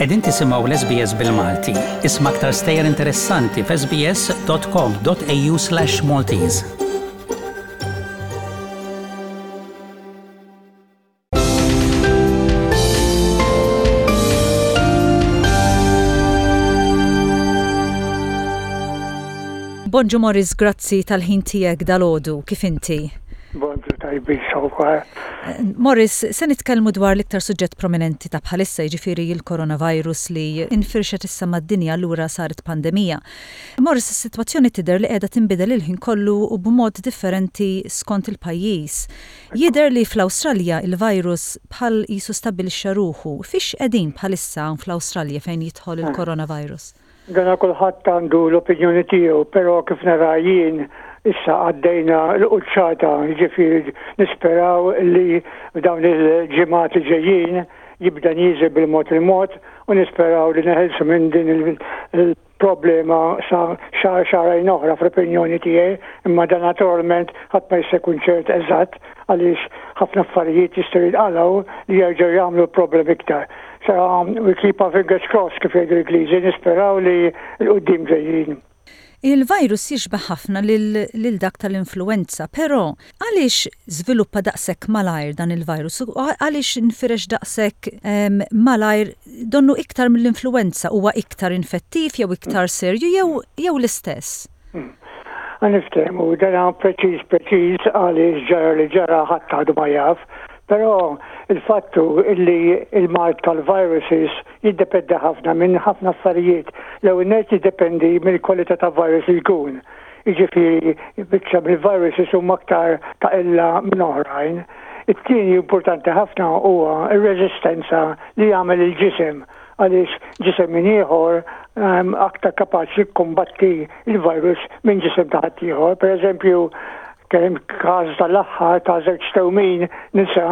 Qegħdin tisimgħu l-SBS bil-Malti. Isma' aktar stejjer interessanti f'sbs.com.au/Maltese. Bonġu Morris, grazzi tal-ħin tiegħek dalgħodu, kif inti? Bonġu tajbin sewwa. Morris, se nitkellmu dwar l-iktar suġġett prominenti ta' bħalissa, jiġifieri l-coronavirus li infirxet issa mad-dinja allura saret pandemija. Morris, is-sitwazzjoni tidher li qiegħda tinbidel il-ħin kollu u b'mod differenti skont il-pajjiż. Jidher li fl-Awstralja il-virus bħal qisu stabbilixxa ruħu. Fiex qegħdin bħalissa hawn fl-Awstralja fejn jidħol il-coronavirus? Dana kulħadd għandu l-opinjoni tiegħu, però kif nara jien issa għaddejna l-quċċata, jiġifieri nisperaw li f'dawn il-ġimgħat li ġejjin jibda nieżel bil-mod il-mod u nisperaw li neħilsu minn din il-problema sa xahar xahrejn oħra fl-opinjoni tiegħi, imma dan naturalment ħadd ma jista' jkun ċert eżatt għaliex ħafna affarijiet jistgħu jinqalgħu li jerġgħu jagħmlu problemi iktar. So we keep our fingers crossed kif jgħidu l-Ingliżi, nisperaw li 'l quddiem ġejjin. Il-virus jixbah ħafna lil dak tal-influwenza, però għaliex żviluppa daqshekk malajr dan il-virus u għaliex infirex daqshekk malajr donnu iktar mill-influwenza, huwa iktar infettiv jew iktar serju jew l-istess? Ħa niftehmu, dan preċiż preċiż għaliex ġara li ġara ħadd għadu ma jaf, però il-fatt hu illi il-mard tal-viruses jiddependi ħafna minn ħafna affarijiet. L-ewwel nett jiddependi mill-kwalità ta' virus li jkun. Jiġifieri biċċa mill-viruses huma aktar ta' qilla minn oħrajn. It-tieni importanti ħafna huwa r-reżistenza li jagħmel il-ġisem għaliex ġisem minn ieħor ehm, aktar kapaċi jikkumbatti il-virus minn ġisem ta' ħaddieħor. Per eżempju, kien każ tal-aħħar ta' żewġ tewmin nisa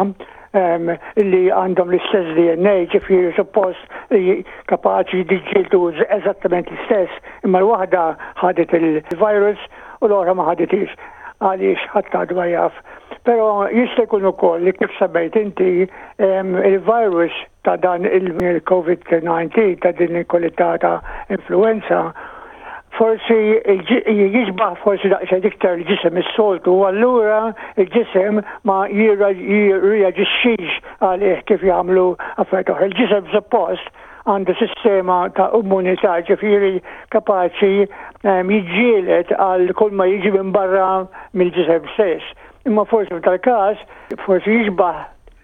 ehm, li għandhom l-istess DNA, ġifieri suppost li kapaċi jiġġieldu eżattament l-istess, imma l-waħda ħadet il-virus u l-oħra ma ħaditix għaliex ħadd għadu ma jaf. Però jista' jkun ukoll li kif semmejt inti ehm, il-virus ta' dan il-COVID-19, ta' din il-kwalità ta' influenza, forsi jixbaħ forsi daqsxejn iktar il-ġisem is-soltu, u allura il-ġisem ma jirreaġixxix għalih kif jagħmlu affarijiet oħra. Il-ġisem suppost għandu sistema ta' immunità, ġifieri kapaċi ehm, jiġġieled għal kull ma jiġi minn barra mill-ġisem stess. Imma forsi f'dal-każ forsi jixbaħ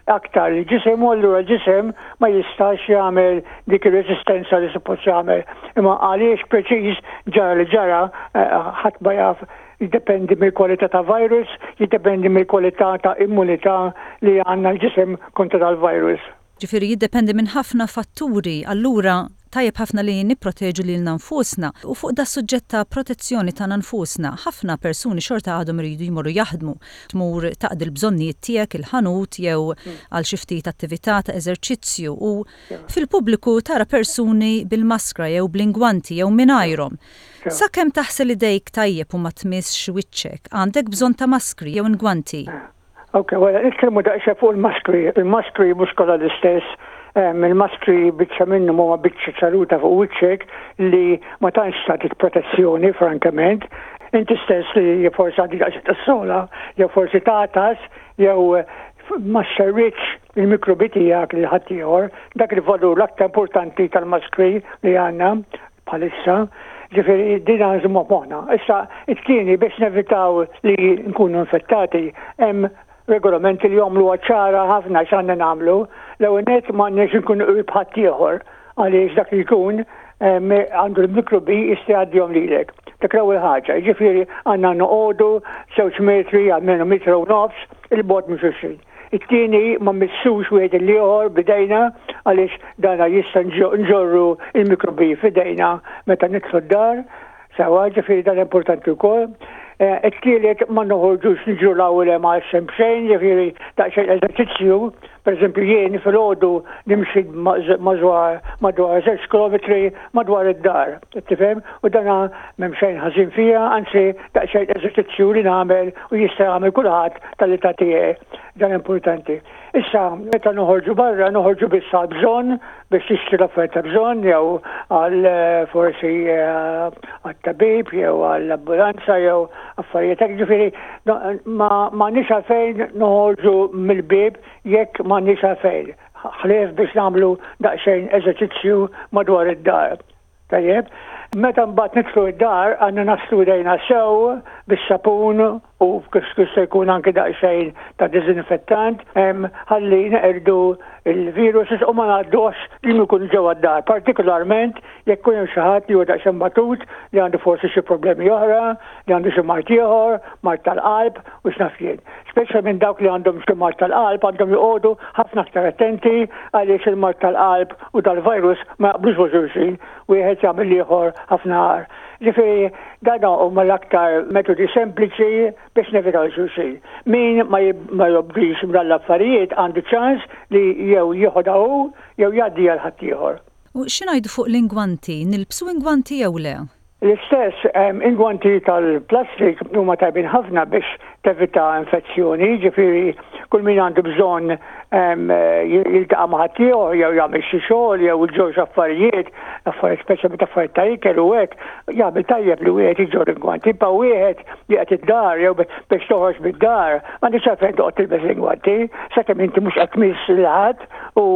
aktar il-ġisem u allura l-ġisem ma jistax jagħmel dik ir-reżistenza li suppost jagħmel. Imma għaliex preċiż ġara li ġara eh, ħadd ma jaf jiddependi mill-kwalità ta' virus, jiddependi mill-kwalità ta' immunità li għandna l-ġisem kontra dal-virus. Ġifieri jiddependi minn ħafna fatturi, allura tajjeb ħafna li nipproteġu lilna nfusna. U fuq das-suġġett ta' protezzjoni tagħna nfusna, ħafna persuni xorta għadhom iridu jmorru jaħdmu. Tmur taqdi l-bżonnijiet tiegħek il-ħanut jew għal xi ftit attività ta' eżerċizzju u fil-pubbliku tara persuni bil-maskra jew bl-ingwanti jew mingħajrhom. Sakemm taħsel idejk tajjeb u ma tmissx wiċċek, għandek bżonn ta' maskri jew ingwanti. Ok, wara nitkellmu daqsxejn fuq il-maskri. Il-maskri mhux kollha l-istess. Il-maskri biċċa minnhom huma biċċa ċaruta fuq wiċċek li ma tantx tagħtik protezzjoni, frankament. Inti stess li forsi għandek daqsxejn tas-sola, jew forsi tagħtas, jew ma xerridx il-mikrobi tiegħek lil ħaddieħor. Dak il-valur l-aktar importanti tal-maskri li għandna bħalissa. Ġifieri din nżommu f'moħħna. Issa it-tieni biex nevitaw li nkunu infettati hemm regolamenti li jagħmluha ċara ħafna x'għandna nagħmlu. L-ewwel nett m'għandniex inkunu qrib ħaddieħor għaliex dak li jkun għandu l-mikrobi jista' jgħaddihom lilek. Dak l-ewwel ħaġa, jiġifieri għandna noqogħdu żewġ metri almenu metru u nofs il-bogħod minn xulxin. It-tieni ma mmissux wieħed il-ieħor b'idejna għaliex dana jista' nġorru il-mikrobi f'idejna meta nidħlu d-dar. Sewwa, ġifieri dan importanti wkoll. Eh, it-tielet ma noħorġux niġru l-ewwel hemm għal xejn b'xejn, ġifieri daqsxejn eżerċizzju, Pereżempju jien filgħodu nimxi madwar madwar żewġ kilometri madwar id-dar, tifhem? U dana m'hemm xejn ħażin fiha, anzi daqsxejn eżerċizzju li nagħmel u jista' jagħmel kulħadd tal-età tiegħi. Dan importanti. Issa, meta noħorġu barra, noħorġu biss għal bżonn biex tixtri l-affarijiet ta' bżonn jew għal eh, forsi eh, għat-tabib jew għall-ambulanza jew affarijiet hekk. Ġifieri ma nix għalfejn noħorġu mill-bieb jekk ma nix għalfejn. Ħlief biex nagħmlu daqsxejn eżerċizzju madwar id-dar. Tajjeb. Meta mbagħad nidħlu d-dar għandna naħslu idejna sew bis-sapun u kif se jkun anki daqsxejn ta' diżinfettant ħalli neqirdu l-viruses u ma ngħadduhx li jkun ġewwa d-dar, partikolarment jekk ikun hemm xi ħadd li huwa daqsxejn batut li għandu forsi xi problemi oħra, li għandu xi mard ieħor, mard tal-qalb u x'naf jien. Speċjalment dawk li għandhom xi mard tal-qalb għandhom joqogħdu ħafna aktar attenti għaliex il-mard tal-qalb u dal-virus ma jaqblux ma' xulxin, wieħed jagħmel l-ieħor ħafna agħar. Ġifieri dan huma l-aktar metodi sempliċi biex nevitaw xulxin. Min ma jobdix dan l-affarijiet għandu ċans li jew jieħodha hu jew jgħaddiha 'l ħaddieħor. U xi ngħidu fuq l-ingwanti, nilbsu ingwanti jew le? L-istess, ingwanti tal-plastik huma tajbin ħafna biex tevita infezzjoni, jiġifieri kull min għandu bżonn jiltaqa' ma' ħaddieħor jew jagħmel xi xogħol jew iġorr xi affarijiet, affarijiet speċjalment affarijiet ta' ikel u hekk, jagħmel tajjeb li wieħed iġorr ingwanti. Imma wieħed li qed id-dar jew biex toħroġ mid-dar, m'għandekx għalfejn toqgħod tilbes l-ingwanti, sakemm inti mhux qed tmiss lil ħadd u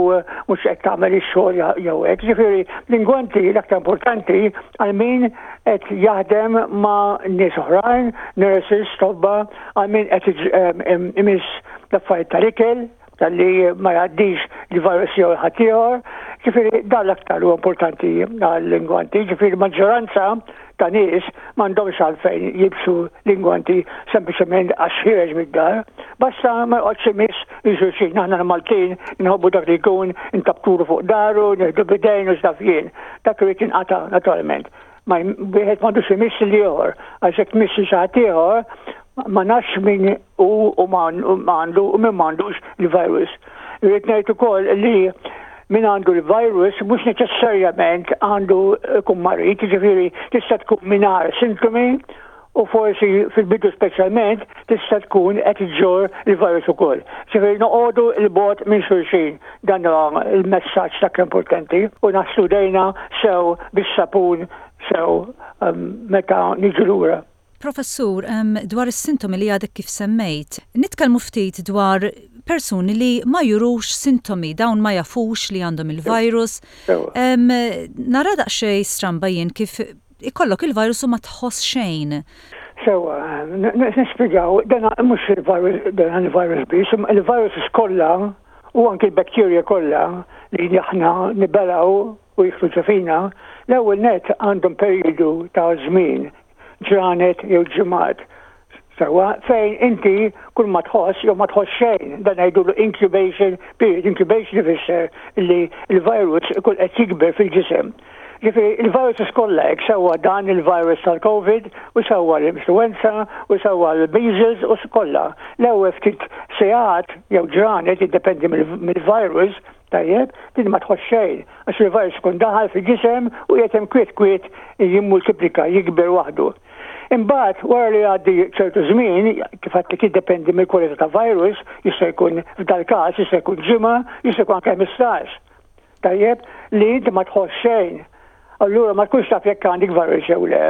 mhux qed tagħmel ix-xogħol jew hekk. Ġifieri l-ingwanti l-aktar importanti għal min qed jaħdem ma' nies oħrajn, nurses, tobba, għal min qed imiss l-affarijiet tal-ikel, talli ma jgħaddix il-virus jew ħaddieħor. Ġifieri dan l-aktar huwa importanti għall-ingwanti, ġifieri maġġoranza ta' nies m'għandhomx għalfejn jilbsu l-ingwanti sempliċement għax ħiereġ mid-dar. Basta ma joqgħodx imiss lil xulxin. Aħna l-Maltin inħobbu dak li jkun intabtulu fuq daru, nieħdu bidejn u x'naf jien. Dak irid jinqata' naturalment. Ma wieħed m'għandux imiss l-ieħor, għax jekk tmiss xi ħadd ieħor ma nafx min hu u għandu u min m'għandux il-virus. Irrid ngħid ukoll li min għandu l-virus mhux neċessarjament għandu jkun marid, jiġifieri tista' tkun mingħajr sintomi u forsi fil-bidu speċjalment tista' tkun qed iġġorr il-virus ukoll. Ġifieri noqogħdu 'l bogħod minn xulxin, dan huwa l-messaġġ dak importanti u naħslu jdejna sew bis-sapun sew meta niġu lura. Professur, dwar is-sintomi li għadek kif semmejt, nitkellmu ftit dwar persuni li ma jurux sintomi, dawn ma jafux li għandhom il-virus. Nara daqsxejn stramba jien kif ikollok il-virus u ma tħoss xejn. Sewwa, nispjegaw, dan mhux il-virus, dan il-virus biss, il-viruses kollha u anki l-bacteria kollha li aħna nibelgħu u jidħlu ġo fina, l-ewwel nett għandhom perjodu ta' żmien ġranet jew ġimgħat sewwa fejn inti kull ma tħoss jew ma tħoss xejn, dan ngħidulu incubation period. Incubation ifisser li l-virus ikun qed jikber fil-ġisem. Ġifieri il-viruses kollha hekk sewwa dan il-virus tal-COVID u sewwa l-influenza u sewwa l-measles u kollha. L-ewwel ftit sigħat jew ġranet jiddependi mill-virus Tajjeb, din ma tħoss xejn, għax il-virus ikun daħal fil-ġisem u qiegħed hemm kwiet kwiet jimmultiplika, jikber waħdu. Imbagħad, wara li jgħaddi ċertu żmien, kif għedtlek jiddependi mill-kwalità ta' virus, jista' jkun f'dal-każ jista' jkun ġimgħa, jista' jkun anke 15. Tajjeb, li inti ma tħoss xejn. Allura ma tkunx taf jekk għandek virus jew le.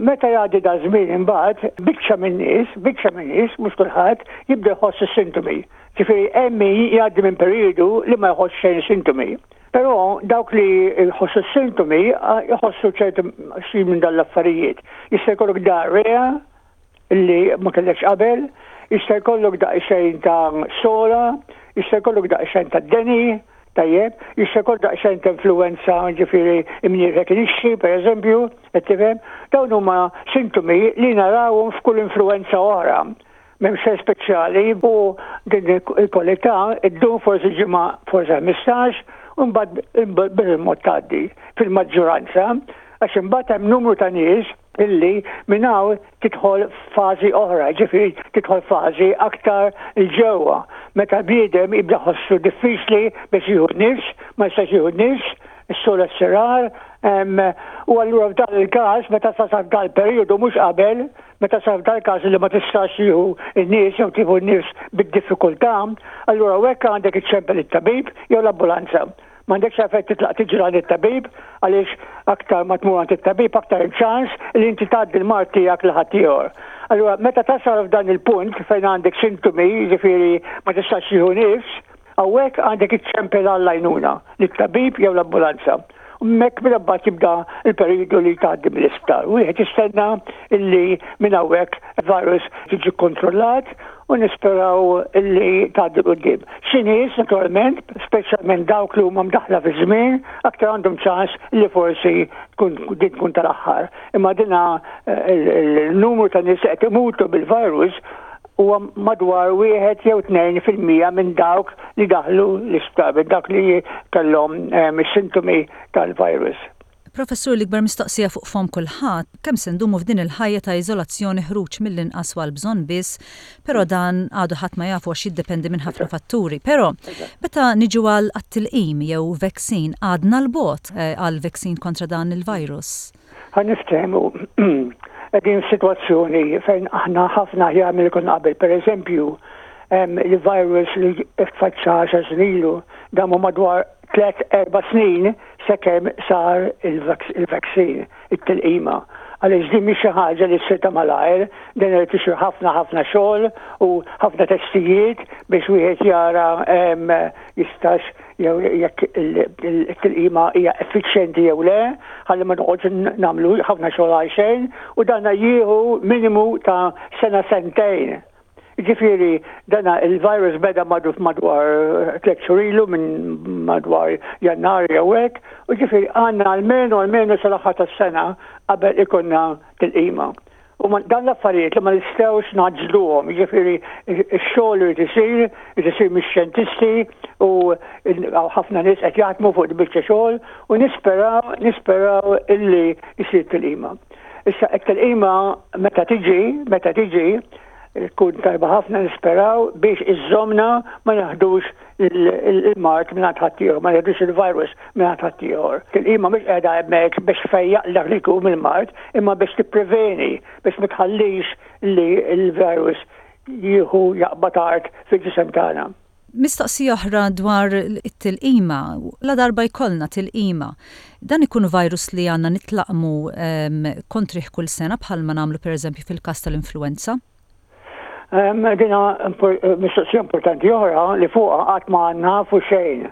Meta jgħaddi da żmien imbagħad, biċċa min-nies, biċċa min-nies, mhux kulħadd, jibda jħoss is-sintomi. Ġifieri hemm min jgħaddi minn perjodu li ma jħoss xejn sintomi. Però dawk li jħossu s-sintomi jħossu ċertu xi minn dan l-affarijiet. Jista' jkollok diarrea li ma kellekx qabel, jista' jkollok daqsxejn ta' sola, jista' jkollok daqsxejn ta' deni, Tajjeb, jista' jkollok daqsxejn ta' influwenza, ġifieri imnieħrek inixxi, pereżempju, qed tifhem? Dawn huma sintomi li narawhom f'kull influwenza oħra. M'hemm xejn speċjali u din il-kwalità ddum forsi ġimgħa, forsi 15, u mbagħad bil-mod tgħaddi fil-maġġoranza, għax imbagħad hemm numru ta' nies. illi minn hawn tidħol f'fażi oħra, ġifieri tidħol fażi aktar 'il ġewwa, meta l-bniedem jibda jħossu diffiċli biex jieħu n-nifs, ma jistax jieħu n-nifs, is-sogħla ssir agħar, u allura f'dan il-każ meta tasal f'dan il-perjodu mhux qabel, meta tasal f'dan il-każ li ma tistax tieħu n-nies jew tieħu n-nifs bid-diffikultà, allura hawnhekk għandek iċċempel it-tabib jew l-ambulanza. M'għandekx għalfejn titlaq tiġri għand it-tabib għaliex aktar ma tmur għand it-tabib aktar hemm ċans li inti tgħaddi l-mard tiegħek lil ħaddieħor. Allura meta tasal f'dan il-punt fejn għandek sintomi, jiġifieri ma tistax tieħu nifs, hawnhekk għandek iċċempel għall-għajnuna lit-tabib jew l-ambulanza. U hemmhekk minn mbagħad jibda l-perjodu li tgħaddi mill-isptar. Wieħed jistenna illi minn hawnhekk virus jiġi kkontrollat u nisperaw li tgħaddi 'l quddiem. Xi nies, naturalment, speċjalment dawk li huma mdaħħla fiż-żmien, aktar għandhom ċans li forsi tkun din tkun tal-aħħar. Imma dina il-numru ta' nies li qed imutu bil-virus huwa madwar wieħed jew 2% minn dawk li daħlu l-isptar, minn dawk li kellhom is-sintomi tal-virus. Professur l-ikbar mistoqsija fuq fomm kulħadd, kemm se ndumu f'din il-ħajja ta' iżolazzjoni ħruġ mill-inqas u għall-bżonn biss, però dan għadu ħadd ma jafu għax jiddependi minn ħafna fatturi. Però meta niġu għal għat-tilqim jew vaccine għadna 'l bogħod għal vaccine kontra dan il-virus? Ħa niftehmu, qegħdin f'sitwazzjoni fejn aħna ħafna aħjar milli konna qabel. Pereżempju, il-virus li tfaċċa għaxar snin ilu damu madwar tlet erba' snin sakemm sar il-vaccine, it-tilqima. Għaliex din mhix xi ħaġa li ssir ta' malajr, din irid isir ħafna ħafna xogħol u ħafna testijiet biex wieħed jara jistax jew jekk it-tilqima hija effiċjenti jew le, ħalli ma noqgħodx nagħmlu ħafna xogħol għal xejn u dan jieħu minimu ta' sena sentejn. Jiġifieri dana il-virus beda magħruf madwar tliet xhur ilu minn madwar Jannar jew hekk, u ġifieri għandna almenu almenu sal-aħħar tas-sena qabel ikollna tilqima. U dan l-affarijiet li ma nistgħux ngħaġġluhom, jiġifieri x-xogħol irid isir, irid isir mix-xjentisti u ħafna nies qed jaħdmu fuq il-biċċa xogħol u nisperaw nisperaw illi jsir tilqima. Issa t-tilqima meta tiġi, meta tiġi, tkun tajba ħafna nisperaw biex iżżomna ma naħdux il-mard minn ħaddieħor, ma naħdux il-virus minn ħaddieħor. Tilqima mhux qiegħda hemmhekk biex tfejjaq dak li jkun mill-mard, imma biex tippreveni biex ma tħallix li l-virus jieħu jaqbad art fil-ġisem tagħna. Mistoqsija oħra dwar it-tilqima, ladarba jkollna tilqima, dan ikun virus li għandna nitlaqqmu kontrih kull sena bħalma nagħmlu pereżempju fil-każ tal-influwenza? Din mistoqsija importanti oħra li fuqha qatt ma nafu xejn.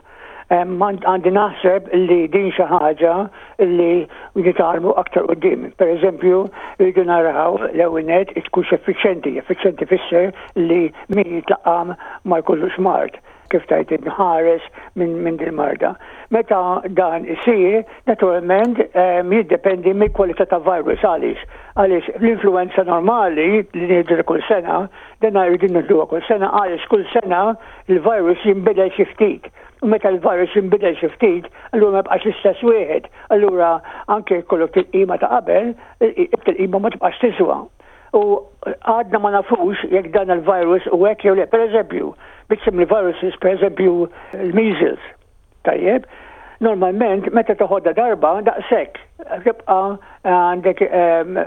Għandi naħseb li din xi ħaġa li nitgħallmu aktar quddiem. Per eżempju, rridu naraw l-ewwel nett tkunx effiċjenti. Effiċjenti fisser li min jitlaqqam ma jkollux mard, kif tgħid inħares minn min din marda. Meta dan isir, naturalment jiddependi mill-kwalità ta' virus għaliex. Għaliex l-influenza normali li nieħdu kull sena, dan rridu nieħduha kull sena għaliex kull sena il-virus jinbidel xi ftit. U meta l-virus jinbidel xi ftit, allura ma jibqax l-istess wieħed. Allura anke jkollok tilqima ta' qabel, it-tilqima ma tibqax tiswa. U għadna ma nafux jekk dan il-virus u hekk jew le. Per eżempju, biċċa mill-viruses, per eżempju, l-measles. Tajjeb, normalment meta toħodha darba daqshekk tibqa' għandek ehm,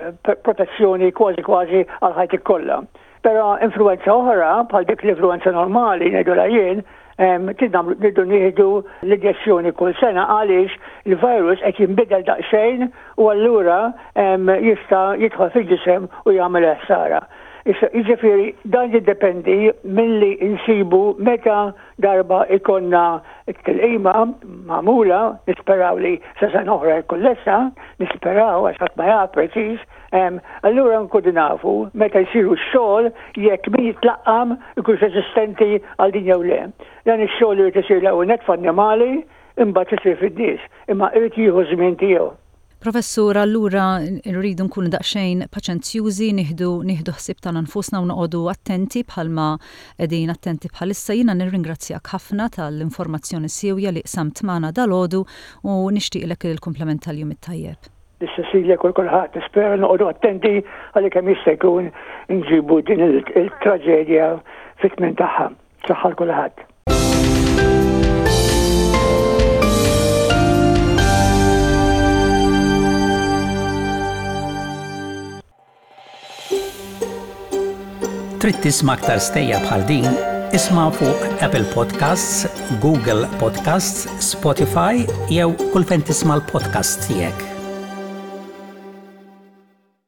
protezzjoni kważi kważi għal ħajtik kollha. Però influenza oħra, bħal dik l-influenza normali, ngħidulha jien, rridu nieħdu l-injezzjoni kull sena għaliex il-virus qed jinbidel daqsxejn u allura jista' jidħol fil-ġisem u jagħmel ħsara. Jiġifieri dan jiddependi milli nsibu meta darba ikonna t-tilqima magħmula, nisperaw li sa sena oħra jkun lesta, nisperaw għax ħadd ma jaf preċiż, allura nkunu nafu meta jsiru x-xogħol jekk min jitlaqqam ikunx reżistenti għal din jew le. Dan ix-xogħol irid isir l-ewwel nett f'annimali, imbagħad isir fin-nies, imma irid jieħu ż-żmien tiegħu. Professur, allura rridu nkunu daqsxejn paċenzjużi, nieħdu nieħdu ħsieb tagħna nfusna u noqogħdu attenti bħalma qegħdin attenti bħalissa. Jiena nirringrazzjak ħafna tal-informazzjoni siewja li qsamt magħna dalgħodu u nixtieqlek il-kumplament tal-jum it-tajjeb. Lil Cecilia kull kulħadd nispera noqogħdu attenti għalli kemm jista' jkun nġibu din il-traġedja fit-tmien tagħha. Saħħa kulħadd. Trid tisma' aktar stejjer bħal din? Isma' fuq Apple Podcasts, Google Podcasts, Spotify jew kull fejn tisma' l-podcasts tiegħek.